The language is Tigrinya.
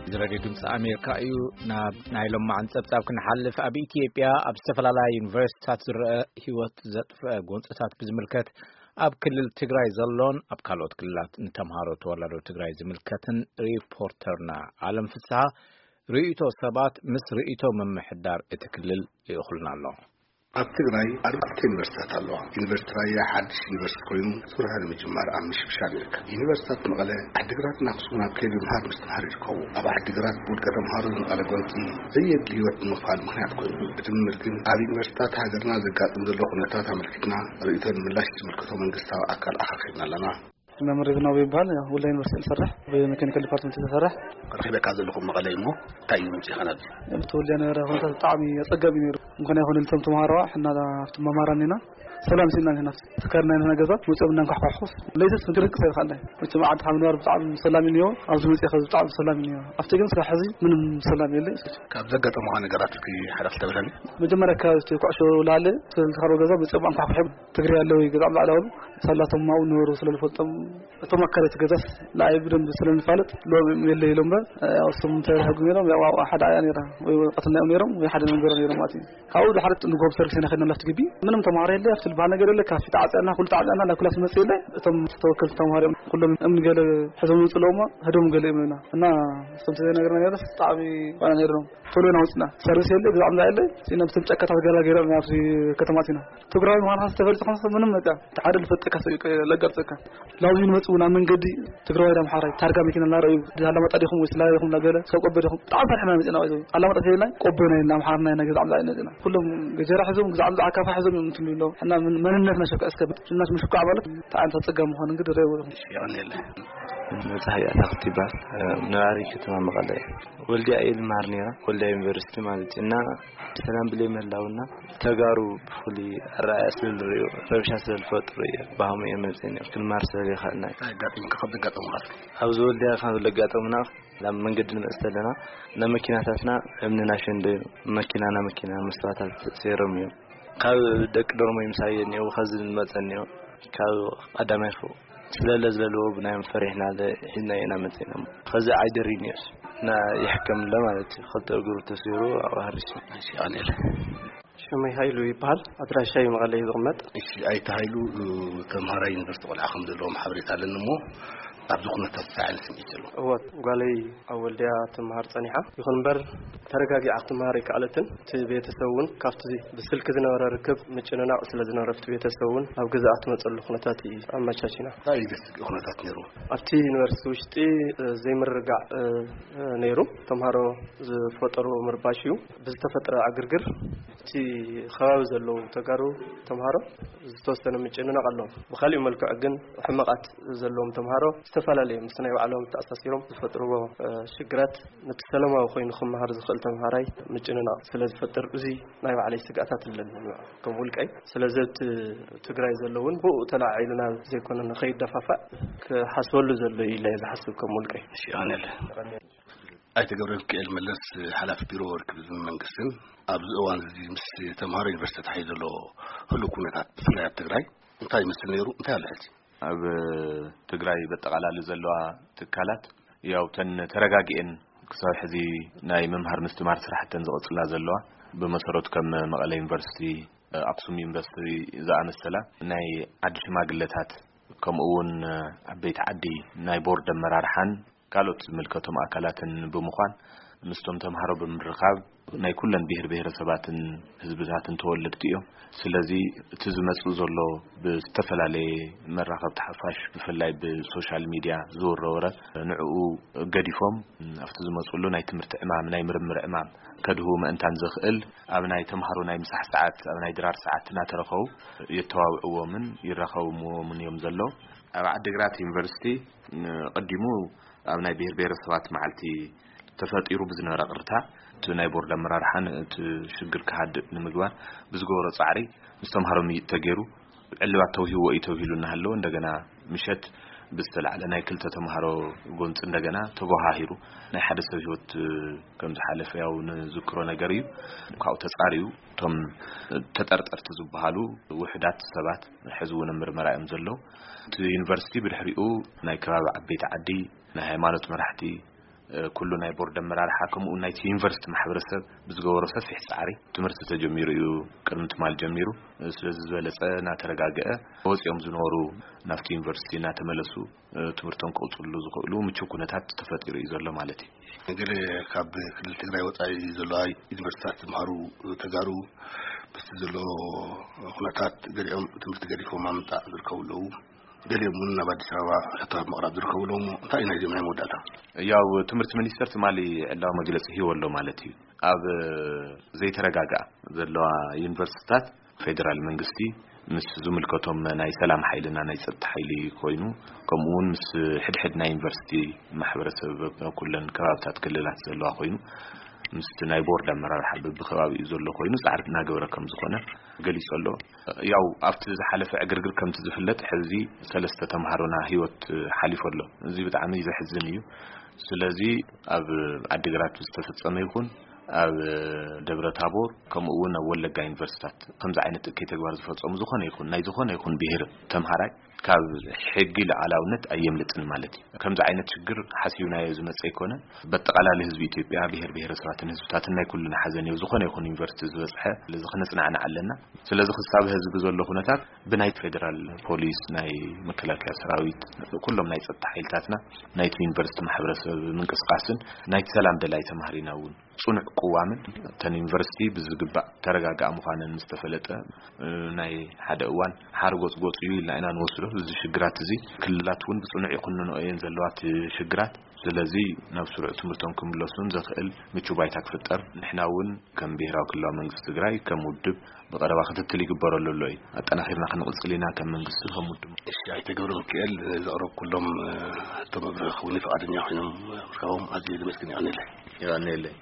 እዚ ሬድዮ ድምፂ ኣሜሪካ እዩ። ናብ ናይ ሎማዓን ጸብጻብ ክንሓልፍ፣ ኣብ ኢትዮጵያ ኣብ ዝተፈላለያ ዩኒቨርሲቲታት ዝረአ ህይወት ዘጥፍአ ጎንፅታት ብዝምልከት ኣብ ክልል ትግራይ ዘሎን ኣብ ካልኦት ክልላት ንተምሃሮ ተወላዶ ትግራይ ዝምልከትን ሪፖርተርና ኣለም ፍስሃ ርእይቶ ሰባት ምስ ርእይቶ ምምሕዳር እቲ ክልል ልእኹልና ኣሎ። ኣብ ትግራይ ኣርባዕተ ዩኒቨርሲታት ኣለዋ። ዩኒቨርሲቲ ራያ ሓድሽ ዩኒቨርሲቲ ኮይኑ ስርሑ ንምጅማር ኣብ ምሽብሻብ ይርከብ። ዩኒቨርሲታት መቐለ፣ ዓዲግራትን ኣክሱምን ኣብ ከይዲ ምሃር ምስትምሃር ይርከቡ። ኣብ ዓዲግራት ውድቀ ተምሃሮ ዝመቐለ ጎንፂ ዘየድሊ ህይወት ንምኽፋል ምኽንያት ኮይኑ፣ ብድምር ግን ኣብ ዩኒቨርሲታት ሃገርና ዘጋጥም ዘሎ ኩነታት ኣመልኪትና ርእይቶ ንምላሽ ዝምልከቶ መንግስታዊ ኣካል ኣኻኺብና ኣለና። መምህር ሪብናዊ ይበሃል። ያው ወልዲያ ዩኒቨርሲቲ ዝሰርሕ ብሜካኒካል ዲፓርትመንት ዝሰርሕ። ረኺበካ ዘለኹ መቐለ እዩ እሞ እንታይ እዩ ምምፅእኻ ናብዚ? እቲ ወልዲያ ነበረ ኩነታት ብጣዕሚ ኣፀጋሚ ነይሩ። እንኳን ይኹን ልቶም ተምሃሮ ሕና ኣብቲ መማራን ኢና ሰላም ሲና ኢና ትካልና ኢና ገዛ መፅኦም እናንኳሕኳሕኩስ ለይትስ ምድርቅ ሰይርካ ኣለ። መቸም ዓድኻ ምንባር ብጣዕሚ ሰላም እዩ ነይሩ። ኣብዚ መፅእኻ ብጣዕሚ ሰላም እዩ ነይሩ። ኣብቲ ግን ስራሕ ሕዚ ምንም ሰላም የለ። ካብ ዘጋጠሙኻ ነገራት እስኪ ሓደ ክልተ ብለኒ። መጀመርያ ካብ እቲ ኩዕሾ ላለ ስለዝተኸርበ ገዛ መፅኦም ኣንኳሕኩሖም ትግሪ ኣለዉ ገዛ ላዕላዊ ሳላቶም ማው ነበሩ ስለዝፈልጦም እቶም ኣካላት ገዛስ ንኣይ ብደንብ ስለንፋለጥ ሎም የለ ኢሎም እምበር፣ እ፣ እሱም እንተይረኸቡ ነይሮም፣ ያው ሓደ ኣያ ነይራ፣ ወይ ወረቀት እናዮም ነይሮም፣ ወይ ሓደ ነገር ነይሮም ማለት እዩ። ካብኡ ድሓር ንጎብ ሰርቪስ ኢና ከድና ላፍቲ ግቢ። ምንም ተማሃሮ የለ፣ ኣብቲ ዝበሃል ነገር የለ፣ ካፌ ተዓፅያና፣ ኩሉ ተዓፅያና፣ ናብ ክላስ መፅእ የለ። እቶም ተወከልቲ ተማሃሮ እዮም፣ ኩሎም እምኒ ገለ ሒዞም ይምፅእ ኣለዉ እሞ፣ ህዶም ገለ እዮም እና፣ እና እቶም ተዘይነገርና ነይሮስ ብጣዕሚ ዋና ነይሮም። ቶሎ ኢና ወፅና። ሰርቪስ የለ፣ ግዛዕ ምዛ የለ፣ ሲና ብቶም ጨካታት ገላ ገይሮም ናብዚ ከተማ ኣቲና። ትግራዊ ምዃንካ ዝተፈልጸ ኾንካ ምንም በቃ፣ እቲ ሓደ ልፈልጠካ ሰብ እዩ ለጋርጸካ። ላብዚ ንመጽኡ ናብ መንገዲ ትግራዋይ ዳም ሓራይ ታርጋ መኪና እናረኣዩ፣ ኣላማጣ ዲኹም ወይ ስላሌ ዲኹም እናገለ፣ ሰብ ቆቦ ዲኹም፣ ብጣዕሚ ፈሪሕና መጺና። ወይ ኣላማጣ ተይልና፣ ቆቦ ናይ እና፣ ኣምሓርና ናይ ገዛዕ ምዛ ኣይነጽና። ኩሎም ገጀራ ሒዞም፣ ገዛዕ ምዛ ዓካፋ ሒዞም እዮም እንትሉ ኣለዉ። ሕና መን-፣ መንነትና ሸካ እስከ፣ ሽና ሽምሽኳዕ ማለት፣ እንታይ ዓይነት ኣጸጋሚ ምዃኑ እንግዲህ ርኣይዎ ኢኹም። የቐንየለይ። መጽሓይ ኣታኽልቲ ይበሃል። ነባሪ ከተማ መቐለ እየ። ወልድያ እየ ዝመሃር ነይረ፣ ወልድያ ዩኒቨርሲቲ ማለት እዩ። እና ሰላም ብለይ ምህላውና ተጋሩ ብፍሉይ ኣረኣእያ ስለ ዝርእዩ፣ ረብሻ ስለ ዝፈጥሩ እየ ባህሙ እየ መፅእ ነይሩ። ክንመሃር ስለ ዘይከኣልና እዩ። እንታይ ኣጋጢምካ ካብ ዘጋጠሙኻ እስኪ? ኣብዚ ወልድያ ካብ ዘጋጠሙና፣ ናብ መንገዲ ንመፅእ ተለና፣ ናብ መኪናታትና እምኒ ናሸንደዩ፣ መኪና ናብ መኪና መስተዋታት ሰይሮም እዮም። ካብ ደቂ ዶርሞይ ምሳይ እኒኦ፣ ከዚ ዝመፀ እኒኦ፣ ካብ ቀዳማይ ፎቕ ስለለ ዝለልዎ ብናዮም ፈሪሕና ለ-፣ ሒዝናዮ ኢና መፂእና። ከዚ ዓይደር እኒኦስ እና ይሕከም ኣሎ ማለት እዩ። ክልተ እግሩ ተሰይሩ ኣብኡ ሃሪሱ። እሺ፣ ቀኒለ። ሽመይ ሃይሉ ይበሃል። ኣድራሻይ መቐለ እዩ ዝቕመጥ። እሺ፣ ኣይተ ሃይሉ፣ ተምሃራይ ዩኒቨርሲቲ ቆልዓ ከም ዘለዎም ሓበሬታ ኣለኒ እሞ፣ ኣብዚ ኩነታት እንታይ ዓይነት ስምዒት ዘለዎ? እወ፣ ጓለይ ኣብ ወልድያ ትመሃር ጸኒሓ። ይኹን እምበር፣ ተረጋጊዓ ክትመሃር ኣይከኣለትን። እቲ ቤተሰብ እውን ካብቲ ብስልኪ ዝነበረ ርክብ ምጭንናቕ ስለ ዝነበረ፣ ኣብቲ ቤተሰብ እውን ኣብ ገዛኣ ትመጸሉ ኩነታት እዩ ኣመቻቺና። እንታይ እዩ ዘስግእ ኩነታት ነይሩ? ኣብቲ ዩኒቨርሲቲ ውሽጢ፣ እ፣ ዘይምርግጋዕ፣ እ፣ እ፣ ነይሩ። ተምሃሮ ዝፈጠሩ ምርባሽ እዩ። ብዝተፈጥረ ዕግርግር፣ እቲ ከባቢ ዘለዉ ተጋሩ ተምሃሮ ዝተወሰነ ምጭንናቕ ኣለዎም። ብኻሊእ መልክዕ ግን ሕመቓት ዘለዎም ተምሃሮ ዝተፈላለየ ምስ ናይ ባዕሎም ተኣሳሲሮም ዝፈጥርዎ፣ እ፣ ሽግራት ነቲ ሰላማዊ ኮይኑ ክመሃር ዝኽእል ተምሃራይ ምጭንናቕ ስለ ዝፈጥር፣ እዚ ናይ ባዕለይ ስግኣታት ኣለኒ ከም ውልቀይ። ስለዚ ኣብቲ ትግራይ ዘሎ እውን ብኡ ተላዒልና ዘይኮነ ንኸይደፋፋእ ክሓስበሉ ዘሎ እዩ ኢለ እየ ዝሓስብ ከም ውልቀይ። እሺ፣ ኣነለ። ኣይተ ገብረ ሚካኤል መለስ፣ ሓላፊ ቢሮ ርክብ ህዝብን መንግስትን፣ ኣብዚ እዋን እዚ ምስ ተምሃሮ ዩኒቨርሲቲ ተታሒዙ ዘሎ ህሉው ኩነታት፣ ብፍላይ ኣብ ትግራይ እንታይ ይመስል ነይሩ? እንታይ ኣሎ ሕጂ? ኣብ ትግራይ በጠቓላሊ ዘለዋ ትካላት፣ ያው፣ ተን ተረጋጊኤን ክሳብ ሕዚ ናይ ምምሃር ምስትማር ስራሕተን ዝቐጽላ ዘለዋ፣ ብመሰረቱ ከም መቐለ ዩኒቨርሲቲ፣ ኣክሱም ዩኒቨርሲቲ ዝኣመሰላ ናይ ዓዲ ሽማግለታት፣ ከምኡ እውን ዓበይቲ ዓዲ፣ ናይ ቦርድ ኣመራርሓን ካልኦት ዝምልከቶም ኣካላትን ብምዃን ምስቶም ተምሃሮ ብምርኻብ ናይ ኩለን ብሄር ብሄረሰባትን ህዝብታትን ተወለድቲ እዮም። ስለዚ እቲ ዝመጽእ ዘሎ ብዝተፈላለየ መራኸብቲ ሓፋሽ ብፍላይ ብሶሻል ሚድያ ዝውረ ወረ ንዕኡ ገዲፎም ኣብቲ ዝመጽሉ ናይ ትምህርቲ ዕማም ናይ ምርምር ዕማም ከድህቡ ምእንታን ዘኽእል ኣብ ናይ ተምሃሮ ናይ ምሳሕ ሰዓት ኣብ ናይ ድራር ሰዓት እናተረኸቡ የተዋውዕዎምን ይራኸብዎምን እዮም ዘለዉ። ኣብ ዓዲግራት ዩኒቨርሲቲ ቀዲሙ ኣብ ናይ ብሄር ብሄረሰባት መዓልቲ ተፈጢሩ ብዝነበረ ቅርታ እቲ ናይ ቦርድ ኣመራርሓን እቲ ሽግር ክሃድእ ንምግባር ብዝገበሮ ፃዕሪ ምስ ተምሃሮ ምይጥ ተገይሩ ዕልባት ተውሂዎ እዩ ተብሂሉ እናሃለወ እንደገና ምሸት ብዝተላዕለ ናይ ክልተ ተምሃሮ ጎንፂ እንደገና ተጎሃሂሩ ናይ ሓደ ሰብ ህይወት ከም ዝሓለፈ ያው ንዝክሮ ነገር እዩ። ካብኡ ተፃሪዩ እቶም ተጠርጠርቲ ዝበሃሉ ውሕዳት ሰባት ሕዚ እውን ምርመራ እዮም ዘለዉ። እቲ ዩኒቨርሲቲ ብድሕሪኡ ናይ ከባቢ ዓበይቲ ዓዲ፣ ናይ ሃይማኖት መራሕቲ፣ ኩሉ ናይ ቦርድ ኣመራርሓ ከምኡ እውን ናይቲ ዩኒቨርሲቲ ማሕበረሰብ ብዝገበሮ ሰፊሕ ፃዕሪ ትምህርቲ ተጀሚሩ እዩ። ቅድሚ ትማል ጀሚሩ ስለዚ ዝበለፀ እናተረጋገአ ወፂኦም ዝነበሩ ናብቲ ዩኒቨርሲቲ እናተመለሱ ትምህርቶም ክቕፅሉ ዝኽእሉ ምቹው ኩነታት ተፈጢሩ እዩ ዘሎ ማለት እዩ። ገለ ካብ ክልል ትግራይ ወፃኢ ዘለዋ ዩኒቨርሲቲታት ዝምሃሩ ተጋሩ ምስቲ ዘሎ ኩነታት ገሊኦም ትምህርቲ ገዲፎም ኣብ ምምፃእ ዝርከቡ ኣለዉ። ገሊኦም እውን ናብ ኣዲስ ኣበባ ሕቶታት ምቕራብ ዝርከቡ ኣለዉ። እንታይ እዩ ናይዚኦም ናይ መወዳእታ? ያው ትምህርቲ ሚኒስቴር ትማሊ ዕላዊ መግለፂ ሂቡ ኣሎ ማለት እዩ። ኣብ ዘይተረጋግኣ ዘለዋ ዩኒቨርሲቲታት ፌደራል መንግስቲ ምስ ዝምልከቶም ናይ ሰላም ሓይልና ናይ ጸጥታ ሓይሊ ኮይኑ ከምኡ እውን ምስ ሕድሕድ ናይ ዩኒቨርሲቲ ማሕበረሰብ ኩለን ከባብታት ክልላት ዘለዋ ኮይኑ ምስቲ ናይ ቦርድ ኣመራርሓ በብከባቢኡ ዘሎ ኮይኑ ጻዕሪ እናገበረ ከም ዝኾነ ገሊጹ ኣሎ። ያው ኣብቲ ዝሓለፈ ዕግርግር ከምቲ ዝፍለጥ ሕዚ ሰለስተ ተምሃሮና ህይወት ሓሊፉ ኣሎ። እዚ ብጣዕሚ ዘሕዝን እዩ። ስለዚ ኣብ ዓዲግራት ዝተፈጸመ ይኹን ኣብ ደብረ ታቦር ከምኡ እውን ኣብ ወለጋ ዩኒቨርሲታት ከምዚ ዓይነት እከይ ተግባር ዝፈጸሙ ዝኾነ ይኹን ናይ ዝኾነ ይኹን ብሄር ተምሃራይ ካብ ሕጊ ልዓላውነት ኣየምልጥን ማለት እዩ። ከምዚ ዓይነት ሽግር ሓሲብናዮ ዝመጸ ኣይኮነ። በጠቓላሊ ህዝቢ ኢትዮጵያ ብሄር ብሄረሰባትን ህዝብታትን ናይ ኩልና ሓዘን እዩ። ዝኾነ ይኹን ዩኒቨርሲቲ ዝበጽሐ ስለዚ ክነጽናዕናዕ ኣለና። ስለዚ ክሳብ ህዝቢ ዘሎ ኩነታት ብናይ ፌደራል ፖሊስ፣ ናይ መከላከያ ሰራዊት፣ ኩሎም ናይ ጸጥታ ሓይልታትና ናይቲ ዩኒቨርሲቲ ማሕበረሰብ ምንቅስቃስን ናይቲ ሰላም ደላይ ተማሃሪና እውን ጽኑዕ ቅዋምን እተን ዩኒቨርሲቲ ብዝግባእ ተረጋግኣ ምዃነን ምስ ተፈለጠ ናይ ሓደ እዋን ሓርጎጽ ጎጽ እዩ ኢልና ኢና ንወስዶ። እዚ ሽግራት እዚ ክልላት እውን ብጽኑዕ ይኹንኖ እየን ዘለዋ እቲ ሽግራት። ስለዚ ናብ ስሩዕ ትምህርቶም ክምለሱን ዘኽእል ምቹ ባይታ ክፍጠር ንሕና እውን ከም ብሄራዊ ክልላዊ መንግስቲ ትግራይ ከም ውድብ ብቐረባ ክትትል ይግበረሉ ኣሎ እዩ። ኣጠናኺርና ክንቕጽል ኢና ከም መንግስቲ ከም ውድብ። እሺ ኣይተ ገብረ ሚካኤል ዘቕረብኩሎም ሕቶ መብርሂ ክህቡኒ ፍቓደኛ ኮይኖም ምርካቦም ኣዝየ ዘመስግን። ይቐንየለይ። ይቐንየለይ።